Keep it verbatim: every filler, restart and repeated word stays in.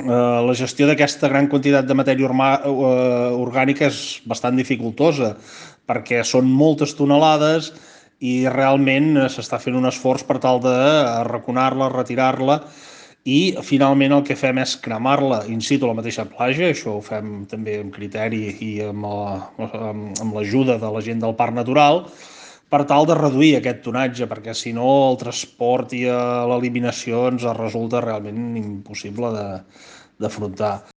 la gestió d'aquesta gran quantitat de matèria orgànica és bastant dificultosa, perquè són moltes tonelades i realment s'està fent un esforç per tal de arraconar-la, retirar-la, i finalment el que fem és cremar-la in situ a la mateixa platja. Això ho fem també amb criteri i amb l'ajuda de la gent del Parc Natural, per tal de reduir aquest tonatge, perquè si no el transport i l'eliminació ens resulta realment impossible d'afrontar.